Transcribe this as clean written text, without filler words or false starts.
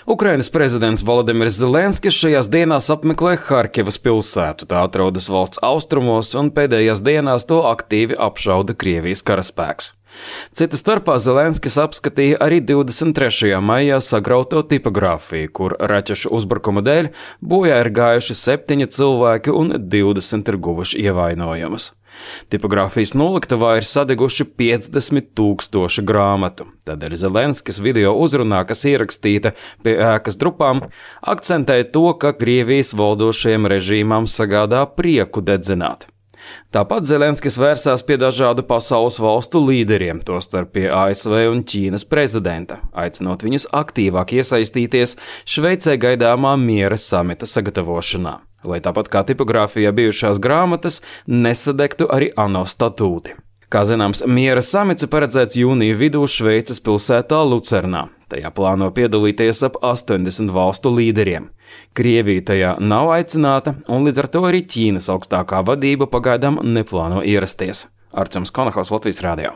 Ukrainas prezidents Volodimirs Zelenskis šajās dienās apmeklē Harkivas pilsētu. Tā atrodas valsts austrumos, un pēdējās dienās to aktīvi apšauda Krievijas karaspēks. Cita starpā Zelenskis apskatīja arī 23. maijā sagrauto tipogrāfiju, kur raķešu uzbrukuma dēļ bojā ir gājuši 7 cilvēki un 20 ir guvuši ievainojumus. Tipogrāfijas noliktavā ir sadeguši 50 000 grāmatu. Tādēļ Zelenskis video uzrunā, kas ierakstīta pie ēkas drupām, akcentēja to, ka Krievijas valdošajam režīmam sagādā prieku dedzināt. Tāpat Zelenskis vērsās pie dažādu pasaules valstu līderiem, tostarp pie ASV un Ķīnas prezidenta, aicinot viņus aktīvāk iesaistīties Šveicē gaidāmā miera samita sagatavošanā, lai tāpat kā tipogrāfijā bijušās grāmatas nesadegtu arī ANO statūti. Kā zināms, miera samits paredzēts jūnija vidū Šveices pilsētā Lucernā. Tajā plāno piedalīties ap 80 valstu līderiem. Krievija tajā nav aicināta, un līdz ar to arī Ķīnas augstākā vadība pagaidām neplāno ierasties. Arčuns Konahaus, Latvijas radio.